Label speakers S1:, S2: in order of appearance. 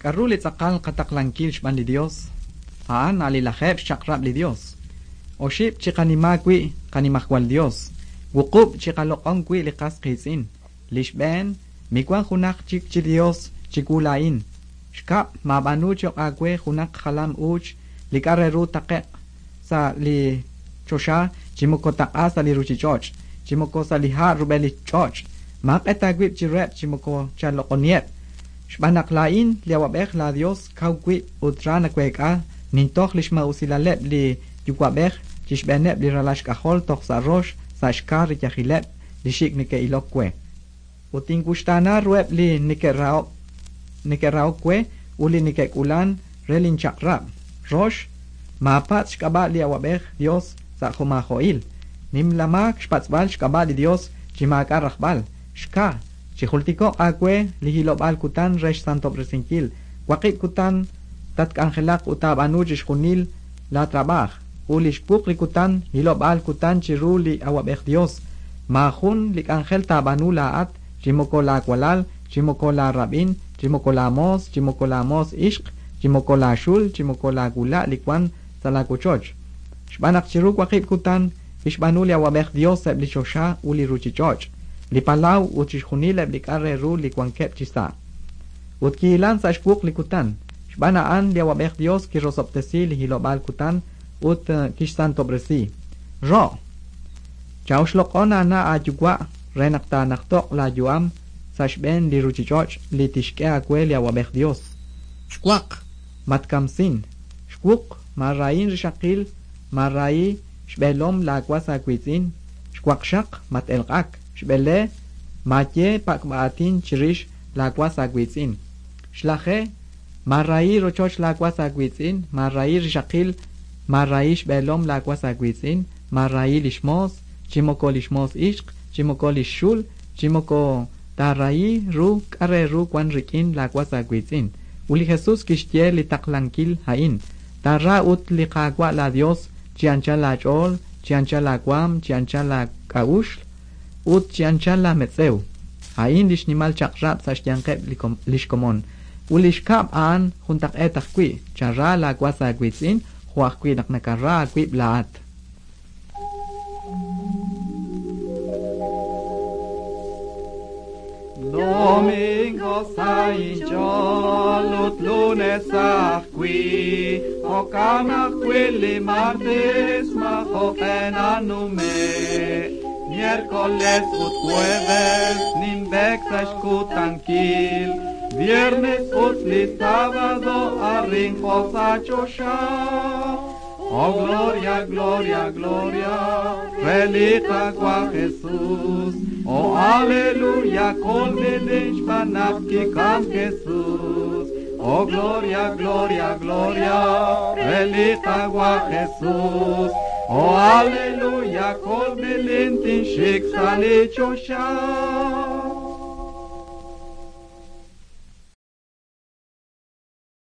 S1: K'aru li tz'aqal qataqlankil xb'aan li Dios? A'an alilajeb' xchaq'rab' li Dios. Oxib' chiqanima wi' qanimajwal Dios. Wuqub' chiqaloq'on wi' li qas qiitz'in. Li xb'een, miwan junaq chik chi Dios chiwu laa'in. Xkab', maab'aanu cho'q aawe junaq jalam uuch li k'a' re ru taqe'q sa' li choxa chi moko taq'a sa' li ruuchich'och', chi moko sa' li ha' rub'el li ch'och'. Maaq'et aawib' chiruheb' chi moko chaloq'oniheb'. Xb'aan naq laa'in li awab'ej la Dios kaw wib' ut ra naweek'a nintoj li xma'usilaleb' li yuwa'b'ej chi xb'eeneb' li ralal xk'ajol toj sa' rox sa' xka riyajileb' li xik' neke'ilok we. Ut tinwuxtaana ruheb' li neke'rahok we ut li neke'k'ulan re linchaq'rab'. Rox, maapatz' xk'ab'a' li awab'ej Dios sa' jo'maajo'il. Nimla maak xpatz'b'al xk'ab'a' li Dios chi maak'a' rajb'al. Xka, chijultiko'q aawe li hilob'aal kutan re xsantob'resinkil. Waqib' kutan tatk'anjelaq ut taab'aanu chixjunil la trab'aaj. Ut li xwuq li kutan hilob'aal kutan chiru li awab'ej Dios. Maajun li k'anjel taab'aanu laa'at, chi moko laawalal, chi moko laarab'in, chi moko laamoos, chi moko laamoos ixq, chi moko laaxul, chi moko laawula' li wan sa' laawochoch. Xb'aan naq chiru waqib' kutan kixb'aanu li awab'ej Dios eb' li choxa ut li ruuchich'och', li palaw ut chixjunil eb' li k'a' re ru li wankeb' chi sa'. Ut kihilan sa' xwuq li kutan. Xb'aan a'an li awab'ej Dios kirosob'tesi li hilob'aal kutan ut kixsantob'resi. Ro', chawxloq'on aana' aayuwa' re naq taanajtoq laayu'am sa' xb'een li ruuchich'och' li tixk'e aawe li awab'ej Dios. Xwaq, matkamsin. Xwuq, maara'in rixaqil, maara'i xb'eelom laawas aawiitz'in. Xwaqxaq, mat-elq'ak. Xb'ele, maaye pak'b'aatin chirix laawas aawiitz'in. Xlaje, maara'i rochoch laawas aawiitz'in, maara'i rixaqil, maara'i xb'eelom laawas aawiitz'in, maara'i li xmoos, chi moko li xmoos ixq, chi moko li xxul, chi moko taara'i ru k'a' re ru wan rik'in laawas aawiitz'in. Ut li Jesús kixye li taqlankil a'in. Taara ut li Qaawa' la Dios chi anchal laach'ool, chi anchal laawaam, chi anchal laak'a'uxl, ut chi anchal laametz'ew. A'in li xnimal chaq'rab' sa' xyanqeb' li xkomon. Ut li xkab' a'an juntaq'eet ajwi', chara laawas aawiitz'in jo' ajwi' naq nakara aawib' laa'at.
S2: Domingo sa inch'ool ut lunes ajwi', jo'kan ajwi' li martes majo'qe nanume'. Miércoles ut jueves ninb'ek sa' xkutankil, viernes ut li sábado arrinjo sa' choxa. Oh gloria, gloria, gloria, re li Qaawa' Jesús. Oh aleluya, kolb'ilin xb'aan naq kikam Jesús. Oh gloria, gloria, gloria, re li Qaawa' Jesús. Oh aleluya, kolb'ilin tinxik sa' li choxa.